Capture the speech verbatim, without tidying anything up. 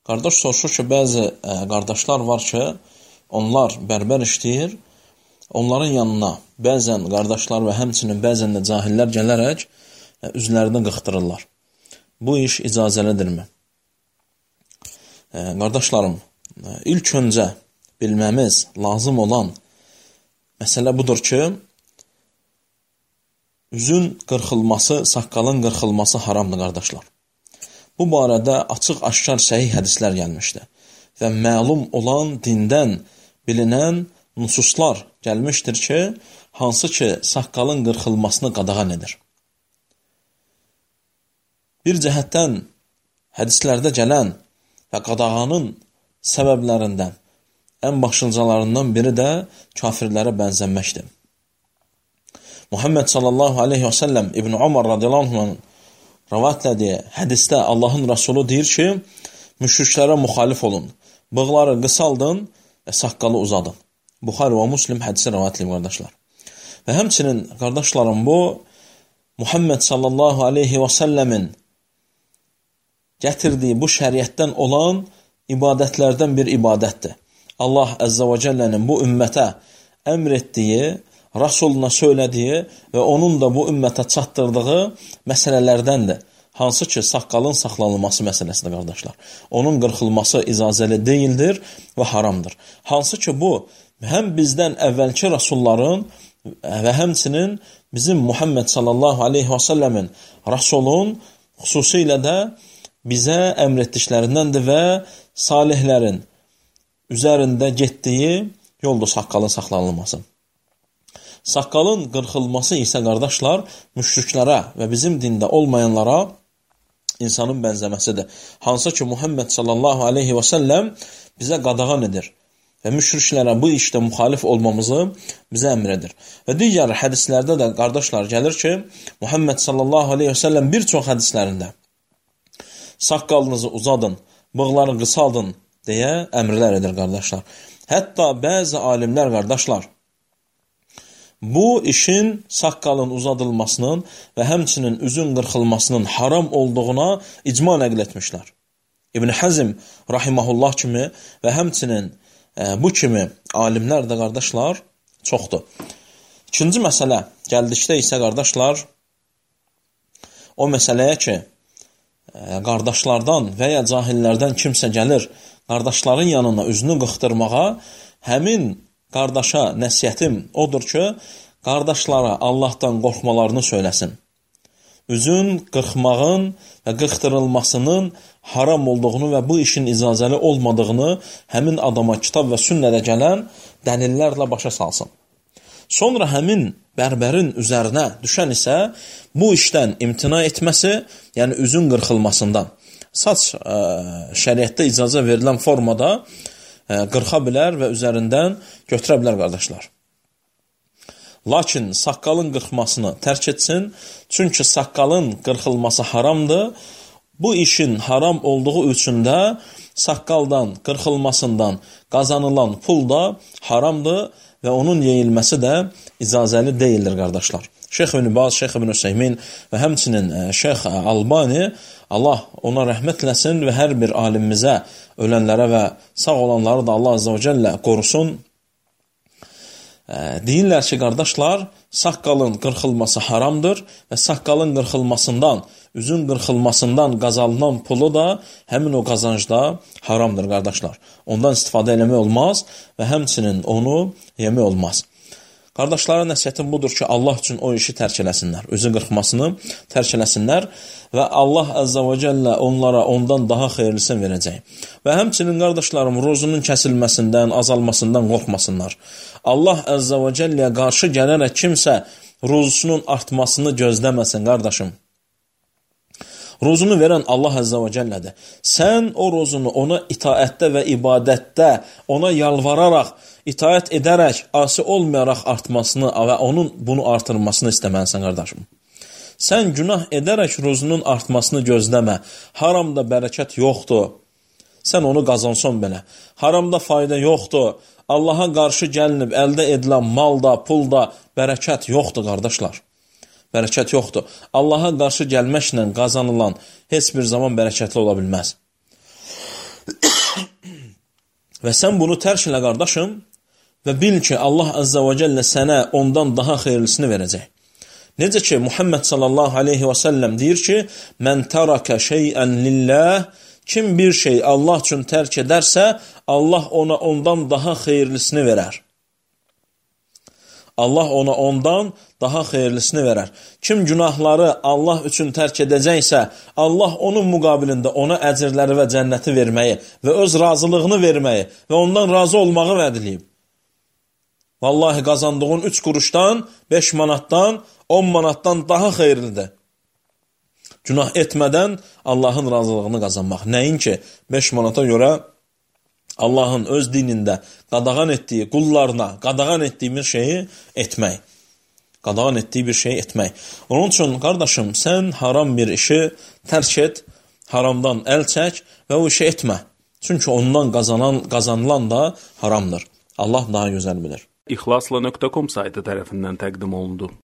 Qardaş soruşur ki, bəzi ə, qardaşlar var ki, onlar bərbər işləyir, onların yanına bəzən qardaşlar və həmçinin bəzən də cahillər gələrək ə, üzlərini qıxdırırlar. Bu iş icazəlidirmi? Ə, qardaşlarım, ə, ilk öncə bilməmiz lazım olan məsələ budur ki, üzün qırxılması, saqqalın qırxılması haramdır, qardaşlar. Bu barədə açıq-aşkar səhih hədislər gəlmişdir və məlum olan dindən bilinən nususlar gəlmişdir ki, hansı ki, saqqalın qırxılmasını qadağan edir. Bir cəhətdən hədislərdə gələn və qadağanın səbəblərindən ən başlıcalarından biri də kafirlərə bənzənməkdir. Muhammed sallallahu aleyhi və səlləm İbn Umar radiyallahu anh rəvayətlədiyi hədisdə Allahın Rəsulu deyir ki, müşriklərə müxalif olun, bığları qısaldın və saqqalı uzadın. Buxari və Müslim hədisi rəvayətliyim, qardaşlar. Və həmçinin, qardaşlarım, bu, Muhammed sallallahu aleyhi və səlləmin gətirdiyi bu şəriətdən olan ibadətlərdən bir ibadətdir. Allah Əzzə və Cəllənin bu ümmətə əmr etdiyi, Rasuluna söylədiyi və onun da bu ümmətə çatdırdığı məsələlərdəndir. Hansı ki, saqqalın saxlanılması məsələsidir, qardaşlar. Onun qırxılması icazəli deyildir və haramdır. Hansı ki, bu, həm bizdən əvvəlki Rasulların və həmçinin bizim Muhammed sallallahu aleyhi və səlləmin Rasulun xüsusilə də bizə əmr etdiklərindəndir və salihlərin üzərində getdiyi yoldur saqqalın saxlanılması. Saqqalın qırxılması isə, qardaşlar, müşriklərə və bizim dində olmayanlara insanın bənzəməsidir. Hansı ki, Muhammed sallallahu aleyhi və səlləm bizə qadağan edir və müşriklərə bu işdə müxalif olmamızı bizə əmr edir. Və digər hədislərdə də, qardaşlar, gəlir ki, Muhammed sallallahu aleyhi və səlləm bir çox hədislərində saqqalınızı uzadın, bığları qısaldın deyə əmrlər edir, qardaşlar. Hətta bəzi alimlər, qardaşlar, bu işin saqqalın uzadılmasının və həmçinin üzün qırxılmasının haram olduğuna icma nəql etmişlər. İbn Həzm rahiməhullah kimi və həmçinin e, bu kimi alimlər də, qardaşlar, çoxdur. İkinci məsələ gəldikdə isə, qardaşlar, o məsələyə ki, e, qardaşlardan və ya cahillərdən kimsə gəlir, qardaşların yanına üzünü qıxdırmağa, həmin qardaşa nəsiyyətim odur ki, qardaşlara Allahdan qorxmalarını söyləsin. Üzün qırxmağın və qırxdırılmasının haram olduğunu və bu işin icazəli olmadığını həmin adama kitab və sünnədə gələn dəlillərlə başa salsın. Sonra həmin bərbərin üzərinə düşən isə bu işdən imtina etməsi, yəni üzün qırxılmasından. Saç ə, şəriətdə icazə verilən formada qırxa bilər və üzərindən götürə bilər, qardaşlar. Lakin saqqalın qırxmasını tərk etsin, çünki saqqalın qırxılması haramdır. Bu işin haram olduğu üçün də saqqaldan, qırxılmasından qazanılan pul da haramdır və onun yeyilməsi də icazəli deyildir, qardaşlar. Şeyx ibn Baz, Şeyx ibn Hüseymin və həmçinin Şeyx Albani, Allah ona rəhmət eləsin və hər bir alimimizə, ölənlərə və sağ olanları da Allah Azza və Cəllə qorusun. Deyirlər ki, qardaşlar, saqqalın qırxılması haramdır və saqqalın qırxılmasından, üzün qırxılmasından qazanan pulu da həmin o qazancda haramdır, qardaşlar. Ondan istifadə eləmək olmaz və həmçinin onu yemək olmaz. Qardaşlara nəsiyyətim budur ki, Allah üçün o işi tərk eləsinlər, üzün qırxmasını tərk eləsinlər və Allah Əzzə və Cəllə onlara ondan daha xeyirlisini verəcək. Və həmçinin, qardaşlarım, rozunun kəsilməsindən, azalmasından qorxmasınlar. Allah Əzzə və Cəlləyə qarşı gələrək kimsə rozusunun artmasını gözləməsin, qardaşım. Rozunu verən Allah Əzzə və Cəllədir. Sən o rozunu ona itaətdə və ibadətdə, ona yalvararaq, itaət edərək, asi olmayaraq artmasını və onun bunu artırmasını istəməlisən, qardaşım. Sən günah edərək rozunun artmasını gözləmə. Haramda bərəkət yoxdur. Sən onu qazansan belə. Haramda fayda yoxdur. Allaha qarşı gəlinib, əldə edilən malda, pulda bərəkət yoxdur, qardaşlar. Bərəkət yoxdur. Allaha qarşı gəlməklə qazanılan heç bir zaman bərəkətli ola bilməz. Və sən bunu tərk elə, qardaşım, və bil ki, Allah Azza və Cəllə sənə ondan daha xeyirlisini verəcək. Necə ki, Muhammed sallallahu aleyhi və səlləm deyir ki, mən tərəkə şeyən lilləh, kim bir şey Allah üçün tərk edərsə, Allah ona ondan daha xeyirlisini verər. Allah ona ondan daha xeyirlisini verər. Kim günahları Allah üçün tərk edəcəksə, Allah onun müqabilində ona əcirləri və cənnəti verməyi və öz razılığını verməyi və ondan razı olmağı vəd edib. Vallahi qazandığın üç quruşdan, beş manatdan, on manatdan daha xeyirlidir. Günah etmədən Allahın razılığını qazanmaq. Nəinki beş manata görə Allahın öz dinində qadağan etdiyi, qullarına qadağan etdiyi bir şeyi etmək. Qadağan etdiyi bir şeyi etmək. Onun üçün, qardaşım, sən haram bir işi tərk et, haramdan əl çək və o işi etmə. Çünki ondan qazanan, qazanılan da haramdır. Allah daha gözəl bilir. İxlasla nöqtə com saytı tərəfindən təqdim olundu.